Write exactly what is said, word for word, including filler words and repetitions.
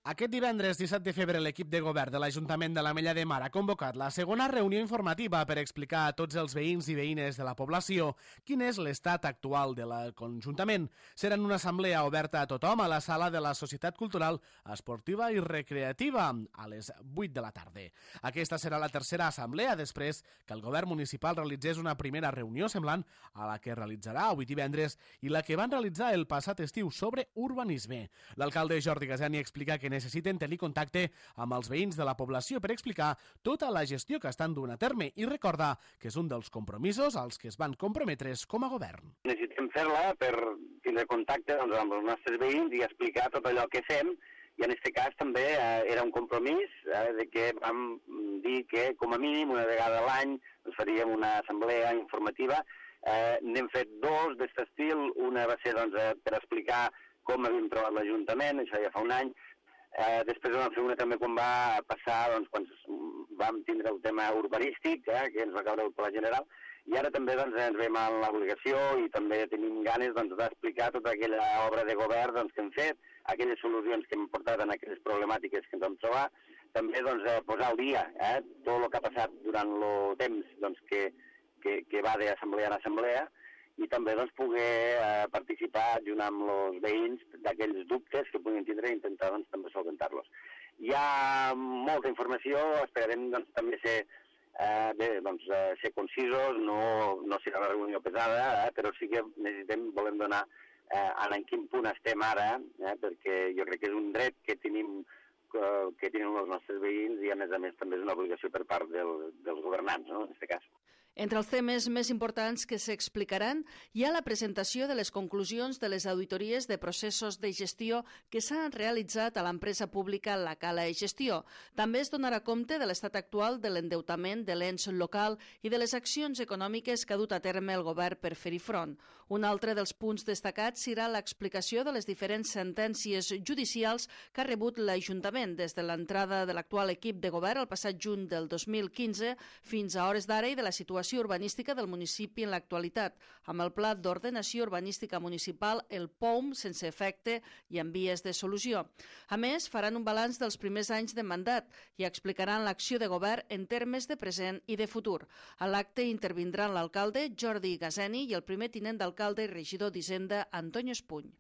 Aquest divendres disset de febrer l'equip de govern de l'Ajuntament de l'Ametlla de Mar ha convocat la segona reunió informativa per explicar a tots els veïns i veïnes de la població quin és l'estat actual de l'Ajuntament. Serà una assemblea oberta a tothom a la sala de la Societat Cultural, Esportiva i Recreativa a les vuit de la tarda. Aquesta serà la tercera assemblea després que el govern municipal realitzés una primera reunió semblant a la que realitzarà avui divendres i la que van realitzar el passat estiu sobre urbanisme. L'alcalde Jordi Gasani explica que necessiten tenir contacte amb els veïns de la població per explicar tota la gestió que estan duent a terme i recordar que és un dels compromisos als que es van comprometre's com a govern. Necessitem fer-la per tindre contacte doncs, amb els nostres veïns i explicar tot allò que fem i en aquest cas també eh, era un compromís eh, de que vam dir que com a mínim una vegada a l'any doncs, faríem una assemblea informativa. Eh, n'hem fet dos d'aquest estil, una va ser doncs, eh, per explicar com havíem trobat l'Ajuntament, això ja fa un any. Eh, després vam fer una també quan va passar, doncs, quan vam tindre el tema urbanístic, eh, que ens va caure el Pla General, i ara també doncs, ens veiem en l'obligació i també tenim ganes doncs, d'explicar tota aquella obra de govern doncs, que hem fet, aquelles solucions que hem portat en aquelles problemàtiques que ens vam trobar, també doncs, eh, posar al dia eh, tot el que ha passat durant el temps doncs, que, que, que va d'assemblea en assemblea, i també doncs, poder eh, participar junt amb els veïns d'aquells dubtes que puguin tindre i intentar doncs, també solventar-los. Hi ha molta informació, esperarem doncs, també ser, eh, bé, doncs, eh, ser concisos, no, no serà una reunió pesada, eh, però sí que necessitem, volem donar eh, en quin punt estem ara, eh, perquè jo crec que és un dret que tenim eh, que tenen els nostres veïns i a més a més també és una obligació per part del, dels governants, no?, en aquest cas. Entre els temes més importants que s'explicaran hi ha la presentació de les conclusions de les auditories de processos de gestió que s'han realitzat a l'empresa pública La Cala i Gestió. També es donarà compte de l'estat actual de l'endeutament de l'ens local i de les accions econòmiques que ha dut a terme el govern per fer-hi front. Un altre dels punts destacats serà l'explicació de les diferents sentències judicials que ha rebut l'Ajuntament des de l'entrada de l'actual equip de govern el passat juny del dos mil quinze fins a hores d'ara i de la situació urbanística del municipi en l'actualitat, amb el Pla d'Ordenació Urbanística Municipal, el P O M, sense efecte i en vies de solució. A més, faran un balanç dels primers anys de mandat i explicaran l'acció de govern en termes de present i de futur. A l'acte intervindran l'alcalde Jordi Gasani i el primer tinent d'alcalde i regidor d'Hisenda, Antonio Espuny.